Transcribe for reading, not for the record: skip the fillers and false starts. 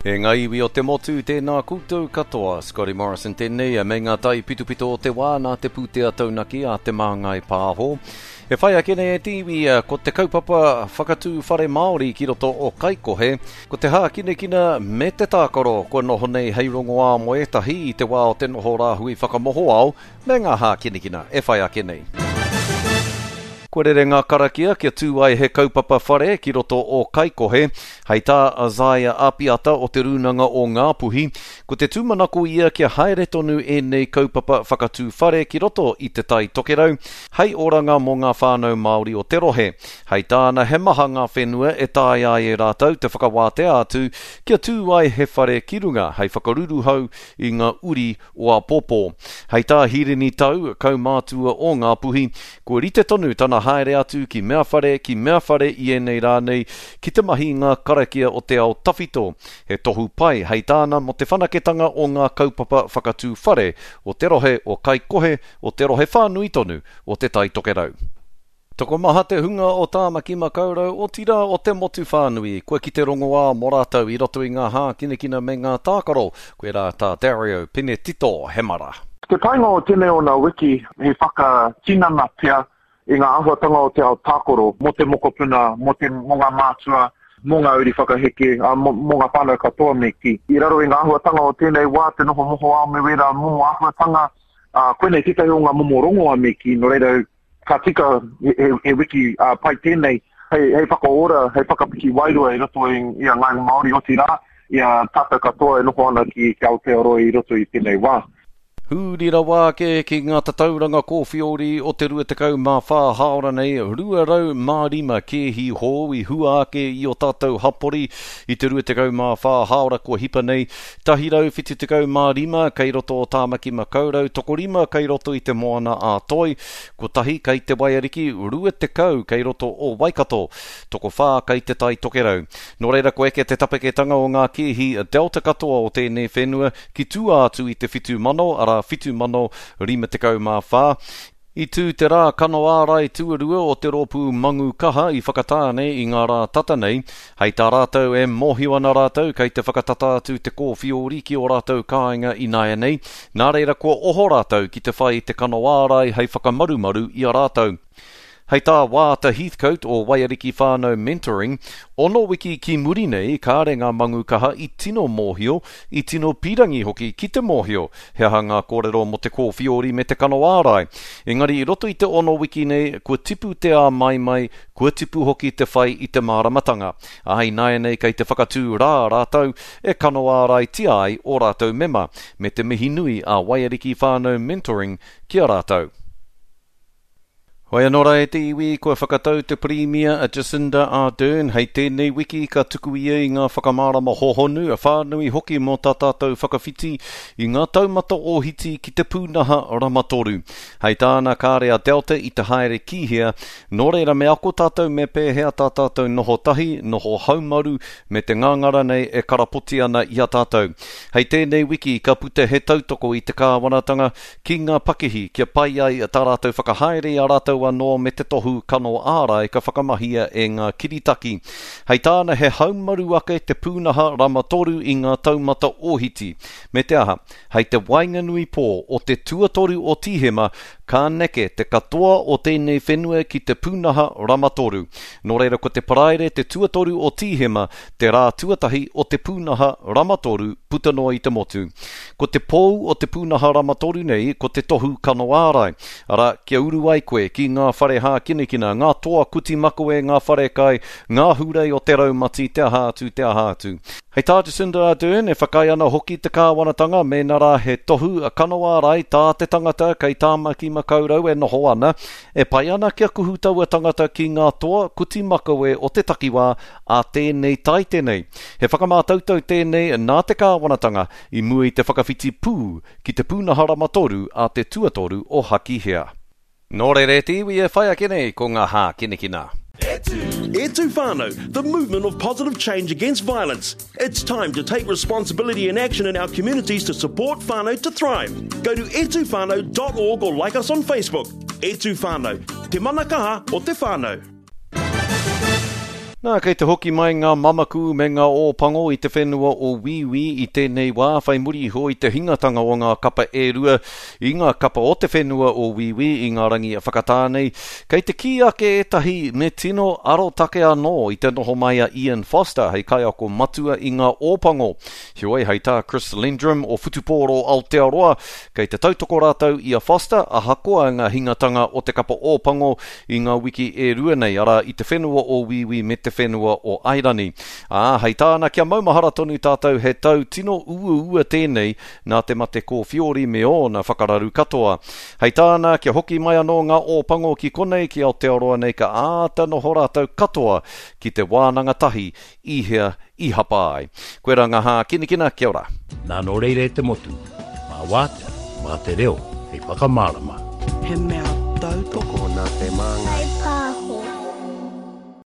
E ngā iwi o te motu, tēnā koutou katoa. Scotty Morrison tēnei, me ngā taipitopito o te wā nā te pūtea taunaki a Te Māngai Pāho. E whai ake nei e te iwi, ko te kaupapa whakatū whare Māori ki roto o Kaikohe, ko te hākinakina me te tākaro kua noho nei hei rongoā mō ētahi i te wā o te noho rāhui whakamohoao, me ngā hākinakina e whai ake nei. Kua rere ngā karakia kia tū ai he kaupapa whare ki roto o Kaikohe. Hei tā Isaiah Apiata o Te Rūnanga o Ngāpuhi, ko te tūmanako ia kia haere tonu ēnei kaupapa whakatū whare ki roto i Te Tai Tokerau hei oranga mō ngā whānau Māori o te rohe. Hei tāna he maha ngā whenua e taea ai e rātou te whakawātea atu kia tū ai he whare ki runga hei whakaruruhau i ngā uri o āpōpō. Hei tā Hirini Tau, kaumātua o Ngāpuhi, kua rite tonu tana haere atu ki mea whare, ki mea whare i ēnei rā nei, ki te mahi i ngā karakia o te ao tawhito. He tohu pai, hei tāna, mō te whanaketanga o ngā kaupapa whakatū whare o te rohe o Kaikohe, o te rohe whānui tonu o Te Tai Tokerau. Tokomaha te hunga o Tāmaki Makaurau, otirā o te motu whānui, kua kite rongoā mō rātou i roto i ngā hākinakina me ngā tākaro, koirā tā Dario Penetito Hemara. Te painga o tēnei o ngā wiki he whakatinana pea i ngā āhuatanga o te ao tākaro mō te mokopuna, mō te, mō ngā mātua, mō ngā uri whakaheke, ā, mō, mō ngā whānau katoa me kī. I raro i ngā āhuatanga o tēnei wā, te noho mohoao me wērā momo āhuatanga, ā, koinei tētahi o ngā momo rongoa me kī, nō reira, Ka tika he wiki pai tēnei hei whakaora, hei whakapiki wairua i roto i a Ngāi Māori, otirā, i a tātou katoa e noho ana ki Aotearoa i roto i tēnei wā. Huri rawa ake ki ngā tatauranga kōwhiori o te 24 hāora nei, 205 kēhi hou i hua ake i o tātou hapori i te 24 hāora kua hipa nei, 175 kei roto o Tāmaki Makaurau, tokorima kei roto i Te Moana a Toi, kotahi kei Te Waiariki, 20 kei roto o Waikato, tokowhā kei Te Tai Tokerau. Nō reira kua eke te tapeketanga o ngā kēhi Delta katoa o tēnei whenua ki tua atu i te 7,000, arā 7,054. I tū te rā kano ārai tuarua o te rōpū Mangu Kaha i Whakatāne i ngā rā tata nei. Hei tā rātou e mōhio ana rātou kei te whakatata atu te kōwhiori ki ō rātou kāinga ināianei, nā reira kua oho rātou ki te whai i te kano ārai hei whakamarumaru i a rātou. Hei tā Waata Heathcote o Waiariki Whānau Mentoring, ono wiki ki muri nei kāre ngā Mangu Kaha i tino mōhio, i tino pīrangi hoki ki te mōhio he aha ngā kōrero mō te kōwhiori me te kano ārai. Engari i roto i te ono wiki nei, kua tipu te āmaimai, kua tipu hoki te whai i te māramatanga. Ā, ināianei kei te whakatū rā rātou e kano āraitia ai ō rātou mema, me te mihi nui a Waiariki Whānau Mentoring ki a rātou. Hoi anō rā e te iwi, kua whakatau te Pirimia a Jacinda Ardern hei tēnei wiki ka tuku ia i ngā whakamārama hohonu, whānui hoki mō tā tātou whakawhiti i ngā taumata ōhiti ki te pūnaha rama toru. Hei tāna kāre a Delta i te haere ki hea, nō reira me ako tātou me pēhea tā tātou noho tahi, noho haumaru me te ngangara nei e karapoti ana i a tātou. Hei tēnei wiki ka puta he tautoko i te kāwanatanga ki ngā pakihi kia pai ai tā rātou whakahaere i a rātou anō me te tohu kano ārai ka whakamahia e ngā kiritaki. Hei tāna he haumaru ake te pūnaha rama toru i ngā taumata ōhiti, me te aha, hei te waenganui pō o te tuatoru o Tīhema ka neke te katoa o tēnei whenua ki te pūnaha rama toru. Nō reira ko te Paraire te tuatoru o Tīhema te rā tuatahi o te pūnaha rama toru puta noa i te motu. Ko te pou o te pūnaha rama toru nei ko te tohu kano ārai, arā, kia uru ai koe ki ngā whare hākinakina, ngā toa kuti makawe, ngā wharekai, ngā hurei o te raumati, te aha atu, te aha atu. Hei tā Jacinda Ardern, e whakaae ana hoki te kāwanatanga mēnā rā he tohu kano ārai tā te tangata kei Tāmaki Makaurau e noho ana, e pai ana kia kuhu taua tangata ki ngā toa kuti makawe o te takiwā ā tēnei taite nei. He whakamātautau tēnei nā te kāwanatanga i mua i te whakawhiti pū ki te pūnaha rama toru a te tuatoru o Hakihea. Nō reira e te iwi e whai ake nei ko ngā hākinakina. E tū whānau, the movement of positive change against violence. It's time to take responsibility and action in our communities to support whānau to thrive. Go to etuwhānau.org or like us on Facebook. E tū whānau, te mana kaha o te whānau. Nā, kei te hoki mai ngā mamaku me ngā ōpango i te whenua o Wīwī i tēnei wā whai muri iho i te hingatanga o ngā kapa e rua i ngā kapa o te whenua o Wīwī i ngā rangi whakatā nei. Kei te kī ake ētahi me tino arotake anō i te noho mai a Ian Foster hei kaiako matua i ngā ōpango. Heoi, hei tā Chris Lendrum o Whutupōro Aotearoa, kei te tautoko rātou i a Foster ahakoa ngā hingatanga o te kapa ōpango i ngā wiki e rua nei, arā, i te whenua o Wīwī me te whenua o Airani. Ā, hei tāna, kia maumahara tonu tātou he tau tino uaua tēnei nā te mate kōwhiori me ōna whakararu katoa. Hei tāna, kia hoki mai anō ngā Ōpango ki konei, ki Aotearoa nei ka āta noho rātou katoa ki te wānanga tahi i hea i hapa ai. Koirā ngā hākinakina, kia ora. Nā nō reira e te motu, mā wātea, mā te reo hei whakamārama. He mea tautoko. Tokona te māngai.